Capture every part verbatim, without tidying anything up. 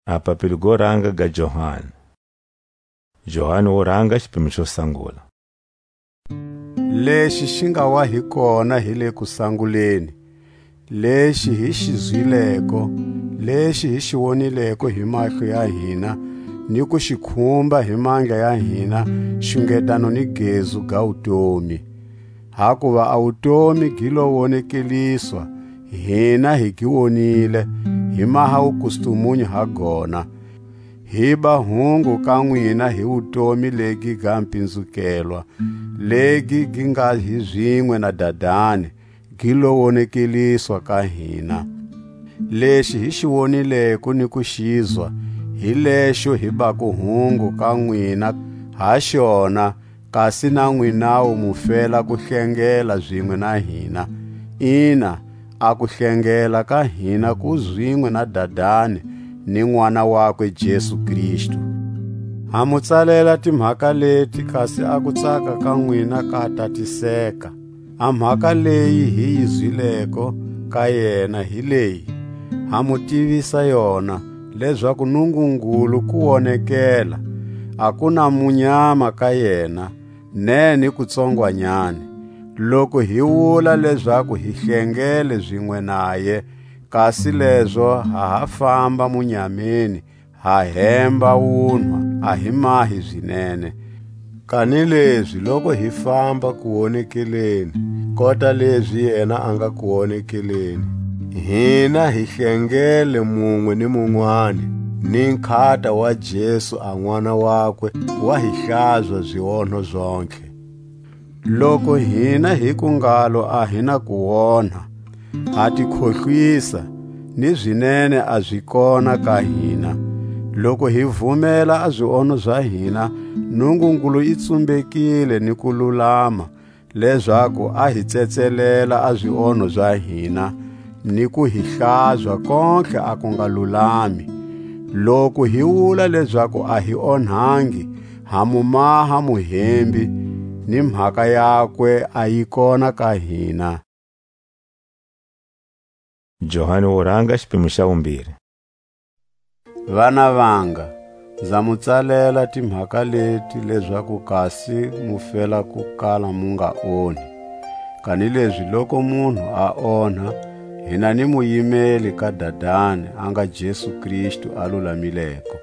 A papilo go ranga ga Johani. Johani wo ranga, xipimo xo sangula. Lexi xi nga wa hi kona hi le kusanguleni, lexi hi xi zwileko, lexi hi xi wonileko hi mahlo ya hina, ni ku xi khumba hi mandla ya hina, xungetano ni gezu ga wutomi. Hakuva a wutomi gi lo wonekeliswa, hina hi gi wonile, hi maha wukustumunyu ha gona. Hi ba hungu ka nwina hi wutomi legi ga mpinzukelwa, legi gi nga hi zinwe na Dadani, gi lo wonekeliswa ka hina. Lexi hi xi wonileko ni ku xizwa, hi lexo hi bako hungu ka nwina ha xona, kasi na nwinawu mu fela ku hlengela zinwe na hina. Ina, a ku hlengela ka hina ku zwinwe na Dadani ni N'wana wakwe Jesu Kristu. Ha mu tsalela timhaka leti, kasi a ku tsaka ka nwina ka tatiseka. A mhaka leyi hi yi zwileko ka yena hi leyi, ha mu tivisa yona, lezaku Nungungulu ku wonekela, a ku na munyama ka yena, ne ni kutsongwanyani. Loku hi wula lezaku hi hlengele zinwe naye, kasi lezo ha ha famba munyameni, ha hemba wunwa, a hi mahi zinene. Kanilezi loku hi famba kuwonekeleni, kota lezi yena a nga kuwonekeleni, hina hi hlengele munwe ni munwani, ni nkhata wa Jesu a N'wana wakwe wa hi hlazwa zionho zontlhe. Loku hina hi ku ngalo a hi na kuonha, ha ti khohlwisa, ni zinene a zi kona ka hina. Loku hi vumela a zionho za hina, Nungungulu i tsumbekile ni ku lulama, lezaku a hi tsetselela a zionho za hina, ni ku hi hlazwa kontlhe a ku nga lulami. Loku hi wula lezaku a hi onhangi, ha mu maha muhembi, ni mhaka yakwe a yi kona ka hina. Johani wo ranga, xipimo xa vumbirhi. Vana vanga, nza mu tsalela timhaka leti lezaku kasi mu fela ku kala mu nga onhi. Kanilezi loku munhu a onha, hina ni muyimeli ka Dadani, a nga Jesu Kristu a lulamileko.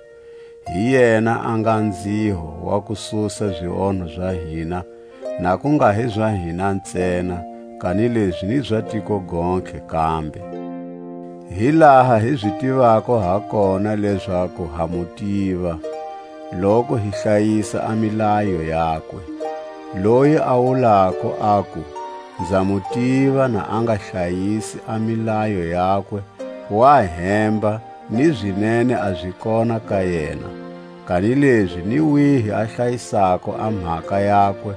Hi yena a nga nziho wa ku susa zionho za hina, na ku nga hi za hina ntsena, kanilezi ni za tiko gontlhe kambe. Hi laha hi zi tivako ha kona lezaku ha mu tiva, loku hi hlayisa a milayo yakwe. Loyi a wulako aku, "Nza mu tiva," na a nga hlayisi a milayo yakwe, wa hemba, ni zinene a zi kona ka yena. Kanilezi ni wihi a hlayisako a mhaka yakwe,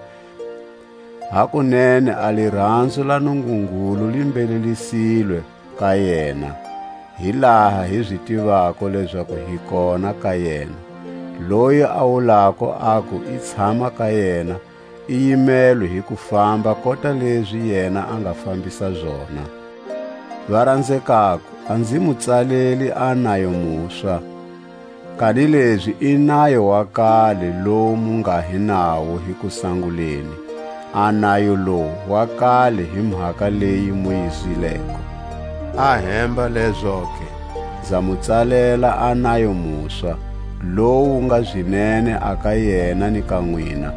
hakunene a liranzo la Nungungulu li mbelelisilwe ka yena. Hi laha hi zi tivako lezaku hi kona ka yena. Loyi a wulako aku i tshama ka yena, i yimelwe hi ku famba kota lezi yena a nga fambisa zona. Varanzekako, a nzi mu tsaleli a nayo muswa, kanilezi i nayo wa kale lowu mu nga hi nawo hi kusanguleni, a nayo lowu wa kale hi mhaka leyi mu yi zwileko. A hemba lezoke, nza mu tsalela a nayo muswa, lowu nga zinene a ka yena ni ka nwina,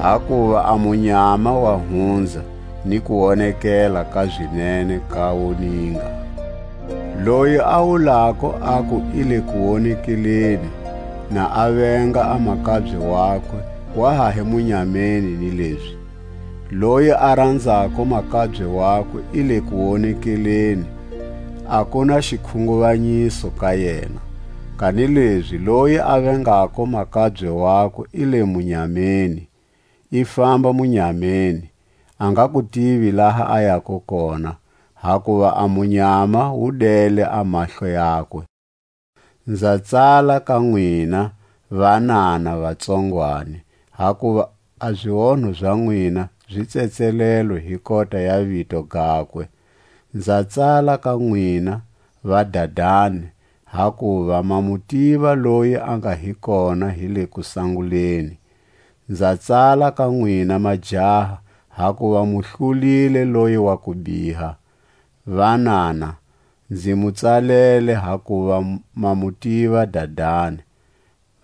hakuva a munyama wa hunza, ni ku wonekela ka zinene ka woninga. Loyi a wulako aku i le kuwonekeleni, na a venga a makabye wakwe, wa ha hi munyameni ni lezi. Loyi a ranzako makabye wakwe i le kuwonekeleni, a ku na xikhunguvanyiso ka yena. Kanilezi loyi a vengako makabye wakwe i le munyameni, i famba munyameni, a nga ku tivi laha a yako kona, hakuva a munyama wu dele a mahlo yakwe. Nza tsala ka nwina, vanana vatsongwani, hakuva a zionho za nwina zi tsetselelwe hi kota ya vito gakwe. Nza tsala ka nwina, vadadani, hakuva ma mu tiva loyi a nga hi kona hi le kusanguleni. Nza tsala ka nwina majaha, hakuva mu hlulile loyi wa ku biha. Vanana, nzi mu tsalele, hakuva ma mu tiva Dadani.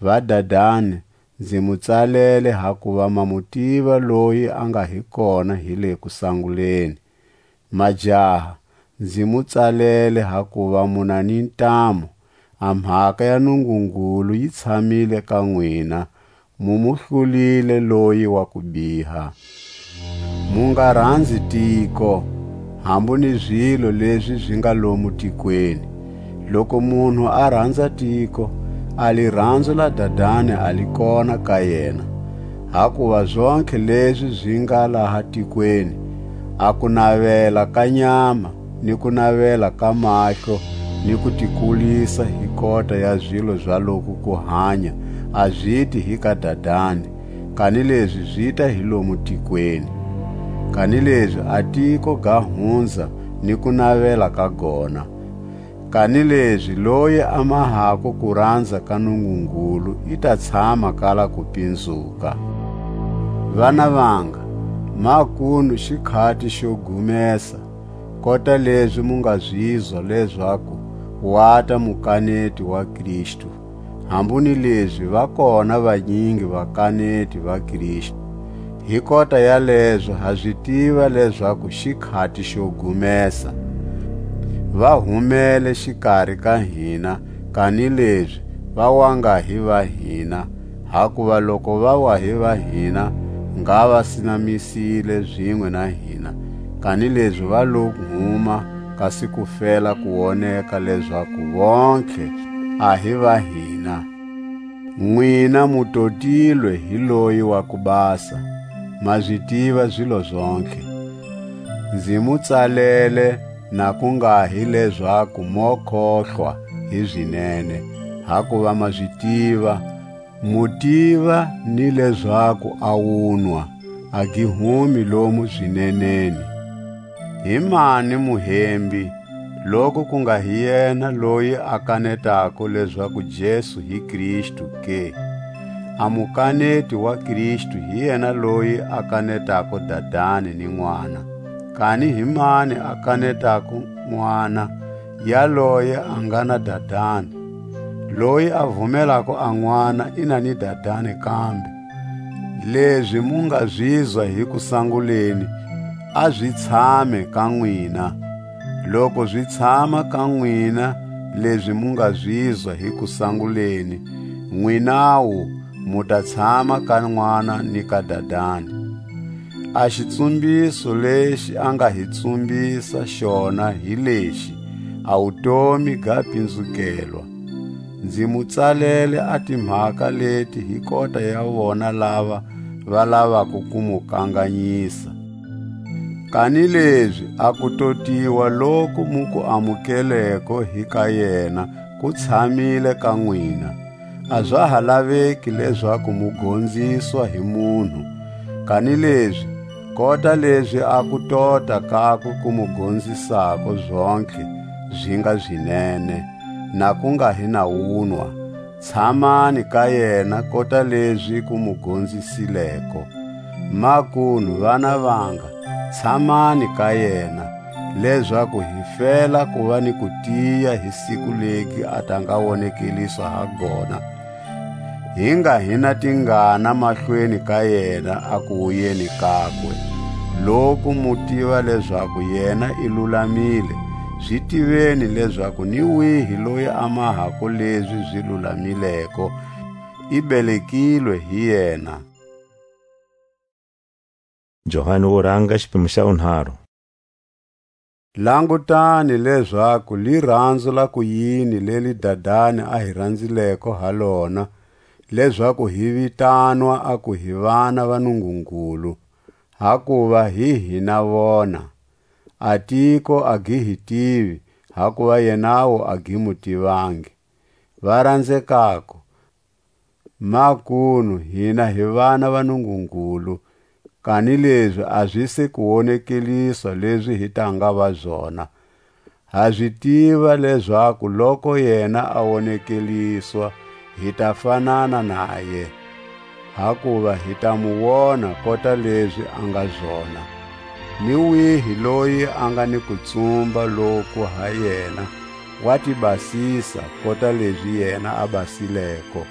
Vadadani, nzi mu tsalele, hakuva ma mu tiva loyi a nga hi kona hi le kusanguleni. Majaha, nzi mu tsalele, hakuva mu na ni ntamu, a mhaka ya Nungungulu yi tshamile ka nwina, mu mu hlulile loyi wa ku biha. Mu nga ranzi tiko, hambu ni zilo lezi zi nga lomu tikweni. Loku munhu a ranza tiko, a liranzo la Dadani a li kona ka yena. Hakuva zontlhe lezi zi nga laha tikweni, a kunavela ka nyama, ni kunavela ka mahlo, ni kutikulisa hi kota ya zilo za loku kuhanya, a ziti hi ka Dadani, kanilezi zita hi lomu tikweni. Kanilezi a tiko ga hunza ni kunavela ka gona. Kanilezi loyi a mahako kuranza ka Nungungulu i ta tshama kala kupinzuka. Vana vanga, makunu xikhati xo gumesa, kota lezi mu nga zizwa lezaku wata mukaneti wa Kristu. Hambu ni lezi va kona vanyingi vakaneti va Kristu. Hi kota yalezo ha zi tiva lezaku xikhati xo gumesa. Va humele xikari ka hina, kanilezi va wa nga hi va hina, hakuva loko va wa hi va hina, ngha va sinamisile zinwe na hina, kanilezi va lo huma, kasi ku fela ku woneka lezaku vontlhe a hi va hina. Nwina mu totilwe hi loyi wa ku basa, ma zi tiva zilo zontlhe. Nzi mu tsalele, na ku nga hi lezaku mo khohlwa hi zinene, hakuva ma zi tiva, mu tiva ni lezaku a wunwa a gi humi lomu zineneni. Hi mani muhembi, loku ku nga hi yena loyi a kanetako lezaku Jesu hi Kristu ke? A mukaneti wa Kristu hi yena loyi a kanetako Dadani ni N'wana. Kani hi mani a kanetako N'wana? Yaloye a nga na Dadani. Loyi a vumelako a N'wana i na ni Dadani kambe. Lezi mu nga zizwa hi kusanguleni, a zi tshame ka nwina. Loku zi tshama ka nwina lezi mu nga zizwa hi kusanguleni, nwinawu mu ta tshama ka N'wana ni ka Dadani. A xitsumbiso lexi a nga hi tsumbisa xona hi lexi: a wutomi ga pinzukelwa. Nzi mu tsalele a timhaka leti hi kota ya vona lava va lavako ku mu kanganyisa. Kanilezi a kutotiwa loku mu ku amukeleko hi ka yena ku tshamile ka nwina. A za ha laveki lezaku mu gonziswa hi munhu, kanilezi kota lezi a kutota kakwe ku mu gonzisako zontlhe zi nga zinene, na ku nga hi na wunwa, tshamani ka yena kota lezi ku mu gonzisileko. Makunu, vana vanga, tshamani ka yena, lezaku hi fela ku va ni kutiya hi siku legi a ta nga wonekeliswa ha gona, hi nga hi na tingana mahlweni ka yena a kuwuyeni kakwe. Loku mu tiva lezaku yena i lulamile, zi tiveni lezaku ni wihi loyi a mahako lezi zi lulamileko, i belekilwe hi yena. Johani wo ranga, xipimo xa vunharhu. Langutani lezaku liranzo la kuyini leli Dadani a hi ranzileko ha lona, lezaku hi vitanwa a ku hi vana va Nungungulu, hakuva hi hina vona. A tiko a gi hi tivi, hakuva yenawu a gi mu tivangi. Va ranzekako, makunu hina hi vana va Nungungulu, kanilezi a zi se ku wonekeliswa lezi hi ta nga va zona. Ha zi tiva lezaku loku yena a wonekeliswa, hi ta fanana naye, hakuva hi ta mu wona kota lezi a nga zona. Ni wihi loyi a nga ni kutsumba loku ha yena, wa ti basisa kota lezi yena a basileko.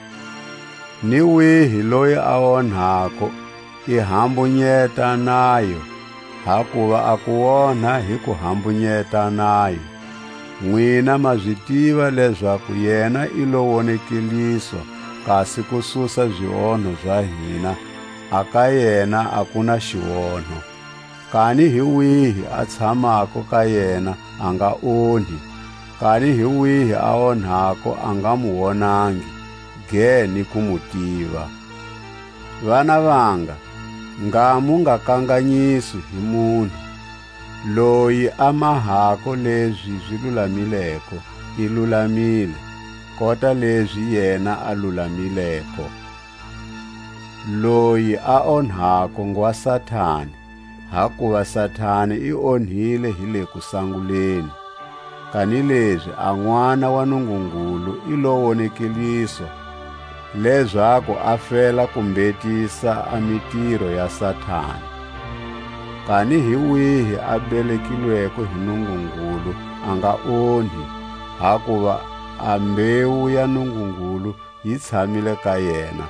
Ni wihi loyi a onhako, i hambunyeta nayo, hakuva a kuonha hi kuhambunyeta nayo. Nwina ma zi tiva lezaku yena i lo wonekeliswa, kasi ku susa zionho za hina, a ka yena a ku na xionho. Kani hi wihi a tshamako ka yena a nga onhi, kani hi wihi a onhako a nga mu wonangi, ge ni ku mu tiva. Vana vanga, nga mu nga kanganyiswi hi munhu. Loyi a mahako lezi zi lulamileko, i lulamile, kota lezi yena a lulamileko. Loyi a onhako ngwa Satani, hakuva Satani i onhile hi le kusanguleni. Kanilezi a N'wana wa Nungungulu i lo wonekeliswa, lezaku a fela ku mbhetisa a mitiro ya Satani. Kani hi wihi a belekilweko hi Nungungulu a nga onhi, hakuva a mbewu ya Nungungulu yi tshamile ka yena,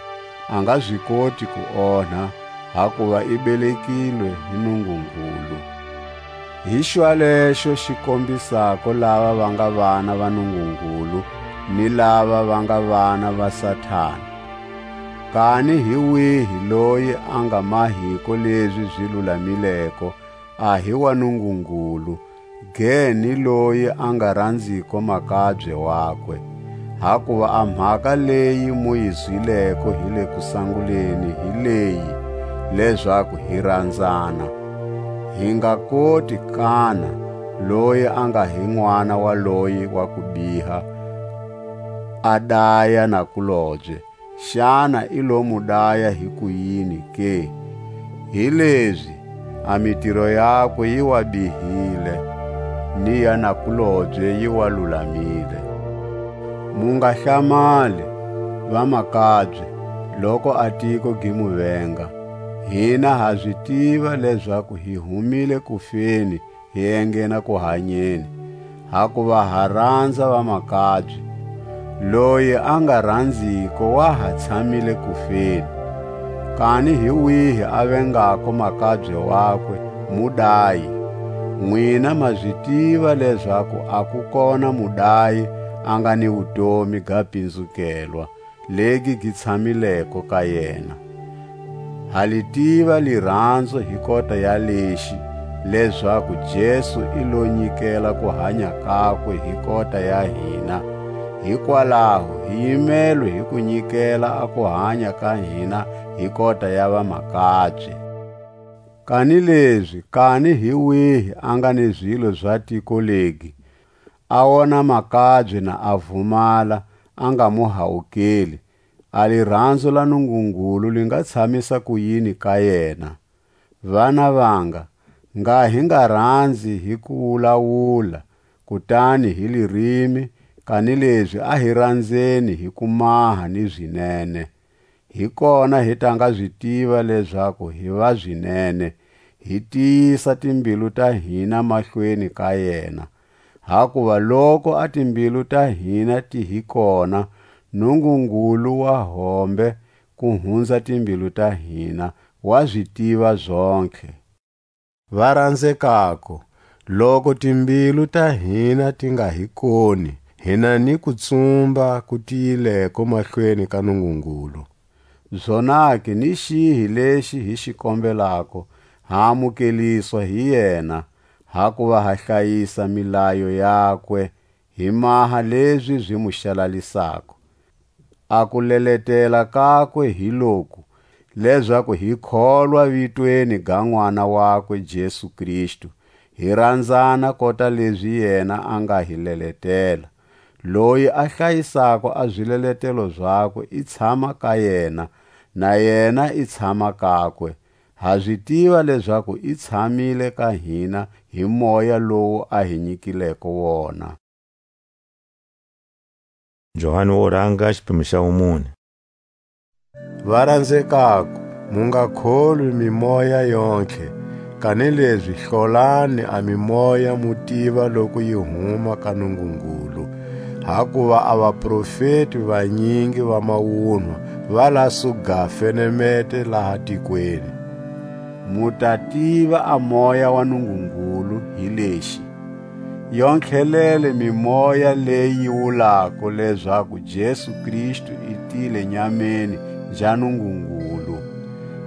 a nga zi koti ku onha, hakuva i belekilwe hi Nungungulu. Hi xwalexo xi kombisako lava va nga vana va Nungungulu ni lava va nga vana va Satana. Kani hi wihi loyi a nga mahiko lezi zi lulamileko, a hi wa Nungungulu, ge ni loyi a nga ranziko makabye wakwe. Hakuva a mhaka leyi mu yi zwileko hi le kusanguleni hi leyi, lezaku hi ranzana. Hi nga koti kana loyi a nga hi n'wana wa loyi wa kubiha, a daya nakulobye, xana i lo mu daya hi kuyini ke? Hilezi a mitiro yakwe yi wa bihile, ni ya nakulobye yi wa lulamile. Mu nga hlamali, vamakabye, loku a tiko gi mu venga. Hina ha zi tiva lezaku hi humile kufeni, hi enghena ku hanyeni, hakuva ha ranza vamakabye. Loyi a nga ranziko wa ha tshamile kufeni. Kani hi wihi a vengako makabye wakwe, mu dayi. Nwina ma zi tiva lezaku a ku kona mudayi a nga ni wutomi ga pinzukelwa, legi gi tshamileko ka yena. Ha li tiva liranzo hi kota ya lexi, lezaku Jesu i lo nyikela ku hanya kakwe hi kota ya hina. Hikwalaho hi yimelwe hi ku nyikela a ku hanya ka hina hi kota ya vamakabye. Kanilezi kani hi wihi a nga ni zilo za tiko legi, a wona makabye na a vumala, a nga mu hawukeli, a liranzo la Nungungulu li nga tshamisa kuyini ka yena? Vana vanga, nga hi nga ranzi hi kuwulawula, kutani hi lirimi, kanilezi a hi ranzeni hi kumaha ni zinene. Hi kona hi ta nga zi tiva lezaku hi va zinene, hi tiyisa timbilu ta hina mahlweni ka yena. Hakuva loku a timbilu ta hina ti hi kona, Nungungulu wa hombe ku hunza timbilu ta hina, wa zi tiva zontlhe. Va ranzekako, loku timbilu ta hina ti nga hi koni, hi na ni kutsumba ku tiyileko mahlweni ka Nungungulu. Zonake ni xihi lexi hi xi kombelako, ha amukeliswa hi yena, hakuva ha hlayisa milayo yakwe, hi maha lezi zi mu xalalisako. A kuleletela kakwe hi loku, lezaku hi kholwa vitweni ga N'wana wakwe Jesu Kristu, hi ranzana kota lezi yena a nga hi leletela. Loyi a hlayisako a zileletelo zakwe i tshama ka yena, na yena i tshama kakwe. Ha zi tiva lezaku i tshamile ka hina hi Moya lowu a hi nyikileko wona. Johani wo ranga, xiphemu xa wumune. Varanzekako, mu nga kholwi mimoya yontlhe, kanilezi hlolani a mimoya, mu tiva loku yi huma ka Nungungulu. Hakuva a vaprofeti vanyingi va mawunwa va la suga fenemete laha tikweni. Mu ta tiva a Moya wa Nungungulu hi lexi: Yontlhelele mimoya leyi yi wulako lezaku Jesu Kristu i tile nyameni nja Nungungulu.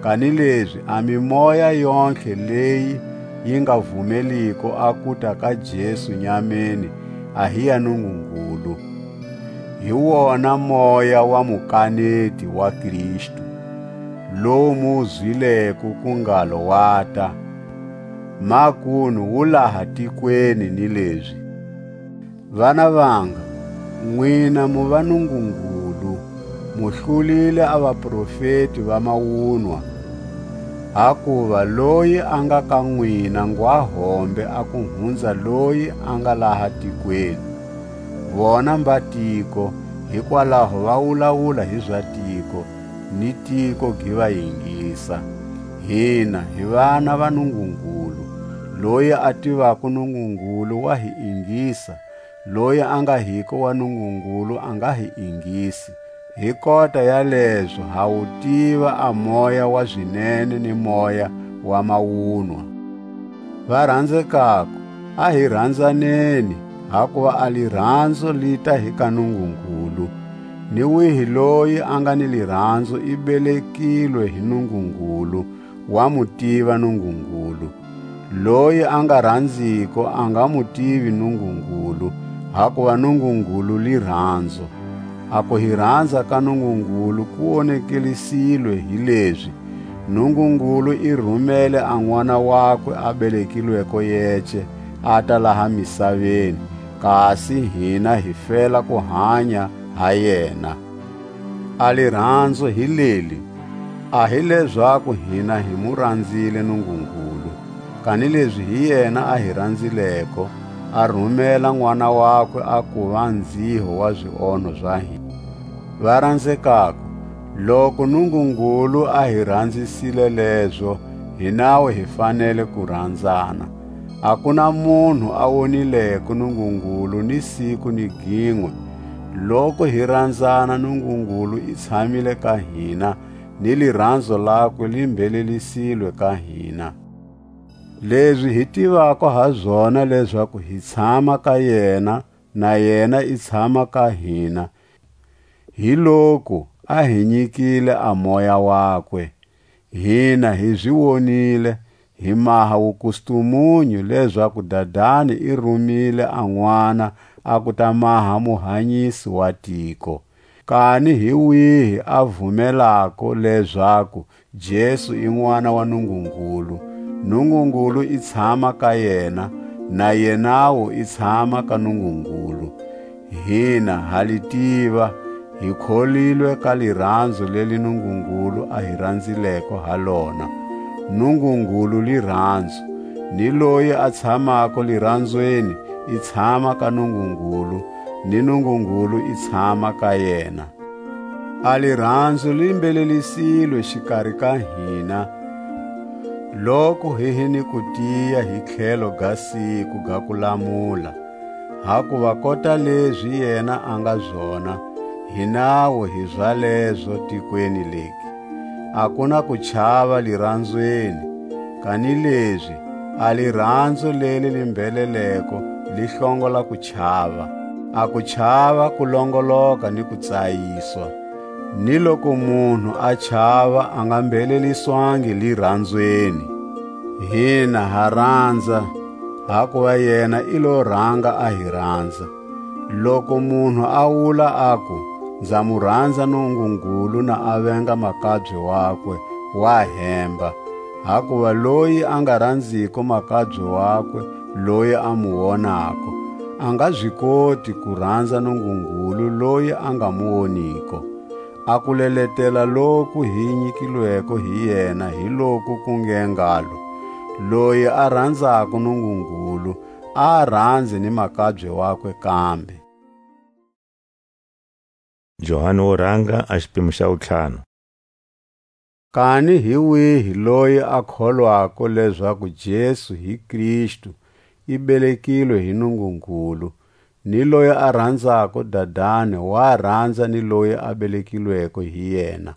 Kanilezi a mimoya yontlhe leyi yi nga vumeliko a kuta ka Jesu nyameni, a hi ya Nungungulu. Hi wona Moya wa mukaneti wa Kristu, lowu mu wu zwileko ku ngalo wata, makunu wu laha tikweni ni lezi. Vana vanga, nwina mu va Nungungulu, mu hlulile a vaprofeti va mawunwa. Hakuva loyi a nga ka nwina ngwa hombe a ku hunza loyi a nga laha tikweni. Vona mba tiko, hikwalaho va wulawula hi za tiko, ni tiko gi va yingisa. Hina hi vana va Nungungulu, loyi a tivako Nungungulu wa hi ingisa, loyi a nga hiko wa Nungungulu a nga hi ingisi. Hi kota ya lezo ha wu tiva a moya wa zinene ni moya wa mawunwa. Varanzekako, a hi ranzaneni, hakuva a liranzo li ta hi ka Nungungulu. Ni wihi loyi a nga ni liranzo i belekilwe hi Nungungulu, wa mu tiva Nungungulu. Loyi a nga ranziko a nga mu tivi Nungungulu, hakuva Nungungulu liranzo. A ku hi ranza ka Nungungulu ku wonekelisilwe hi lezi: Nungungulu i rumele a N'wana wakwe a belekilweko yece, a ta laha misaveni, kasi hina hi fela ku hanya ha yena. A liranzo hi leli: a hi lezaku hina hi mu ranzile Nungungulu, kanilezi hi yena a hi ranzileko, a rumela N'wana wakwe a kuva nziho wa zionho za hina. Varanzekako, loku Nungungulu a hi ranzisile lezo, hinawu hi fanele ku ranzana. A ku na munhu a wonileko Nungungulu ni siku ni ginwe. Loku hi ranzana, Nungungulu i tshamile ka hina, ni liranzo lakwe li mbhelelisilwe ka hina. Lezi hi tivako ha zona lezaku hi tshama ka yena, na yena i tshama ka hina, hi loku a hi nyikile a Moya wakwe. Hina hi zi wonile, hi maha wukustumunyu lezaku Dadani i rumile a N'wana a ku ta maha Muhanyisi wa tiko. Kani hi wihi a vumelako lezaku Jesu i N'wana wa Nungungulu, Nungungulu i tshama ka yena, na yenawu i tshama ka Nungungulu? Hina ha li tiva, hi kholilwe ka liranzo leli Nungungulu a hi ranzileko ha lona. Nungungulu liranzo, ni loyi a tshamako liranzweni i tshama ka Nungungulu, ni Nungungulu i tshama ka yena. A liranzo li mbhelelisilwe xikari ka hina, loku hi hi ni kutiya hi tlhelo ga siku ga kulamula, hakuva kota lezi yena a nga zona, hinawu hi zalezo tikweni legi. A ku na kuchava liranzweni, kanilezi a liranzo leli li mbheleleko li hlongola kuchava. A kuchava ku longoloka ni kutsayiswa. Ni loku munhu a chava, a nga mbheleliswangi liranzweni. Hina ha ranza, hakuva yena i lo ranga a hi ranza. Loku munhu a wula aku, "Nza mu ranza Nungungulu," na a venga makabye wakwe, wa hemba. Hakuva loyi a nga ranziko makabye wakwe, loyi a mu wonako, a nga zi koti ku ranza Nungungulu loyi a nga mu woniko. A kuleletela loku hi nyikilweko hi yena hi loku ku nge ngalo: Loyi a ranzako Nungungulu, a ranze ni makabye wakwe kambe. Johani wo ranga, a xipimo xa wutlhanu. Kani hi wihi loyi a kholwako lezaku Jesu hi Kristu i belekilwe hi Nungungulu, ni loyi a ranzako Dadani wa ranza ni loyi a belekilweko hi yena.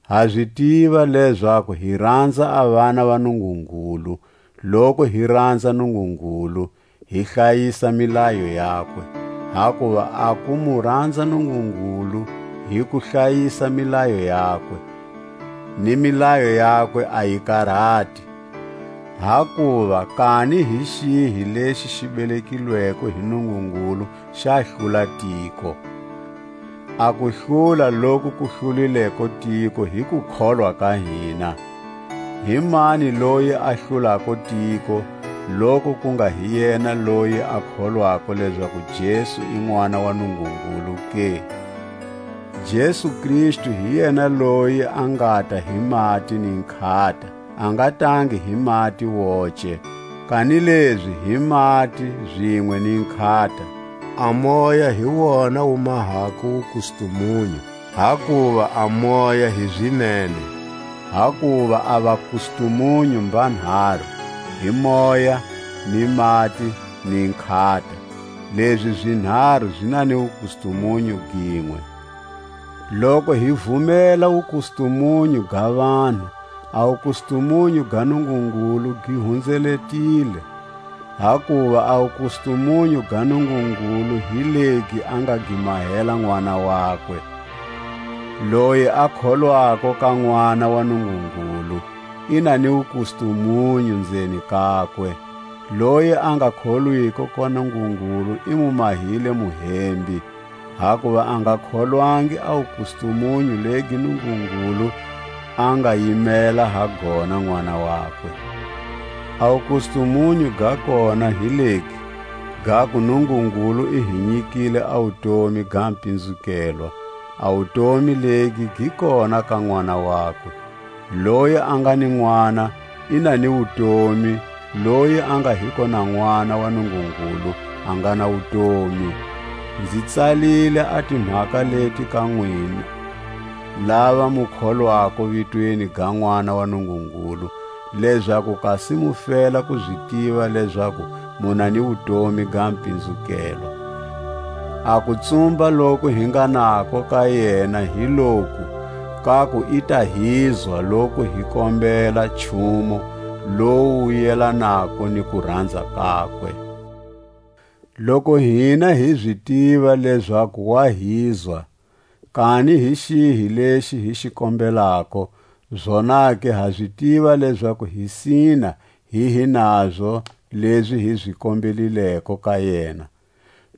Ha zi tiva lezaku hi ranza a vana va Nungungulu, loku hi ranza Nungungulu, hi hlayisa milayo yakwe. Hakuva a ku mu ranza Nungungulu hi ku hlayisa milayo yakwe, ni milayo yakwe a yi karhati. Hakuva kani hi xihi lexi xi belekilweko hi Nungungulu xa hlula tiko? A ku hlula loku ku hlulileko tiko hi kukholwa ka hina. Hi mani loyi a hlulako tiko, loku ku nga hi yena loyi a kholwako lezaku Jesu i N'wana wa Nungungulu ke? Jesu Kristu hi yena loyi a ngata hi mati ni nkhata, a nga tangi hi mati woce, kanilezi hi mati zinwe ni nkhata. A Moya hi wona wu mahako wukustumunyu, hakuva a Moya hi zinene. Hakuva a vakustumunyu mbanharu, hi Moya, ni mati, ni nkhata, lezi zinharu zi na ni wukustumunyu ginwe. Loku hi vumela wukustumunyu ga vanhu, a wukustumunyu ga Nungungulu gi hunzeletile, hakuva a wukustumunyu ga Nungungulu hi legi a nga gi mahela N'wana wakwe. Loyi a kholwako ka N'wana wa Nungungulu, i na ni wukustumunyu nzeni kakwe. Loyi a nga kholwiko ka Nungungulu i mu mahile muhembi, hakuva a nga kholwangi a wukustumunyu legi Nungungulu a nga yimela ha gona N'wana wakwe. A wukustumunyu ga kona hi legi, gaku Nungungulu i hi nyikile a wutomi ga mpinzukelwa, a wutomi legi gi kona ka N'wana wakwe. Loyi a nga ni N'wana, i na ni wutomi, loyi a nga hiko na N'wana wa Nungungulu, a nga na wutomi. Nzi tsalile a timhaka leti ka nwina, lava mu kholwako vitweni ga N'wana wa Nungungulu, lezaku kasi mu fela ku zi tiva lezaku mu na ni wutomi ga mpinzukelo. A kutsumba loku hi nga nako ka yena hi loku, kaku i ta hizwa loku hi kombela nchumu lowu yelanako ni kuranza kakwe. Loku hina hi zi tiva lezaku wa hizwa, kani hi xihi lexi hi xi kombelako, zonake ha zi tiva lezaku hi sina hi hi nazo lezi hi zi kombelileko ka yena.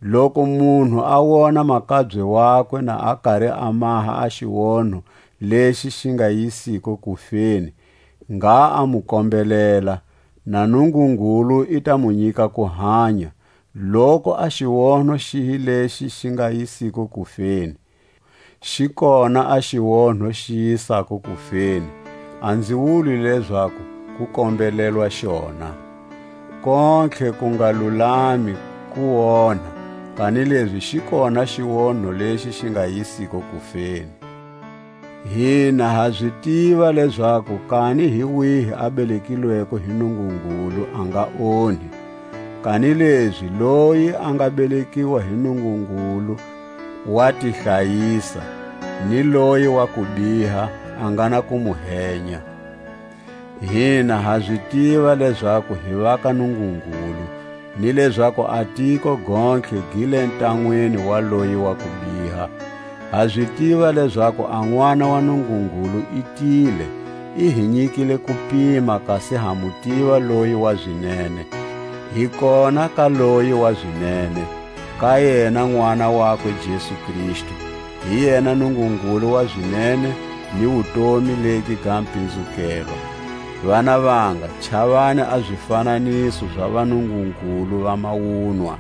Loku munhu a wona makabye wakwe na a kari a maha a xionho lexi xi nga yisiko kufeni, ngha a mu kombelela, na Nungungulu i ta mu nyika kuhanya. Loku a xionho xihi lexi xi nga yisiko kufeni? Xi kona a xionho xi yisako kufeni, a nzi wuli lezaku ku kombelelwa xona. Kontlhe ku nga lulami ku onha, kanilezi xi kona xionho lexi xi nga yisiko kufeni. Hina ha zi tiva lezaku kani hi wihi a belekilweko hi Nungungulu a nga onhi, kanilezi loyi a nga belekiwa hi Nungungulu wa ti hlayisa, ni loyi wa kubiha a nga na ku mu henya. Hina ha zi tiva lezaku hi va ka Nungungulu, ni lezaku a tiko gontlhe gi le ntanwini wa loyi wa kubiha. Ha zi tiva lezaku a N'wana wa Nungungulu i tile, i hi nyikile kupima, kasi ha mu tiva loyi wa zinene. Hi kona ka loyi wa zinene, ka yena N'wana wakwe Jesu Kristu, hi yena Nungungulu wa zinene ni wutomi legi ga mpinzukelo. Vana vanga, chavani a zifananiso za vanungungulu va mawunwa.